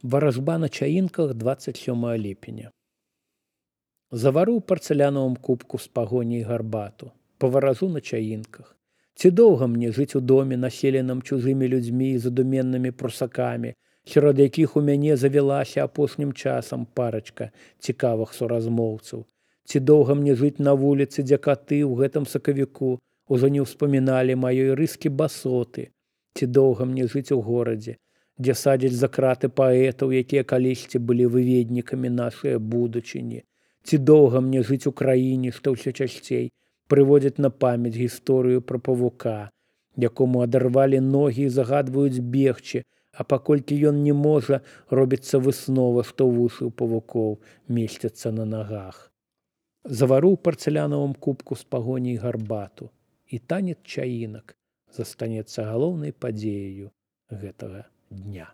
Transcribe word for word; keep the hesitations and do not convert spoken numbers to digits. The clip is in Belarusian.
Варажба на чаінках двадцать сёмага ліпеня. Завару ў парцалянавым кубку з пагоняй гарбату, паваражу на чаінках. Ці доўга мне жыць у доме, населеным чужымі людзьмі і задуменнымі прусакамі, сярод якіх у мяне завялася апошнім часам парачка цікавых суразмоўцаў. Ці доўга мне жыць на вуліцы, дзе каты ў гэтым сакавіку ужо не ўспаміналі маёй рыскі басоты. Ці доўга мне жыць у горадзе, дзе садзяць за краты паэтаў, якія калісьці былі выведнікамі нашай будучыні. Ці доўга мне жыць у краіне, што ўсё часцей прыводзяць на памяць гісторыю пра павука, якому адарвалі ногі і загадваюць бегчы, а паколькі ён не можа, робіцца выснова, што вушы ў павукоў месцяцца на нагах. Завару ў парцалянавым кубку з пагоняй гарбату, і танец чаінак застанецца галоўнай падзеяю гэтага дня.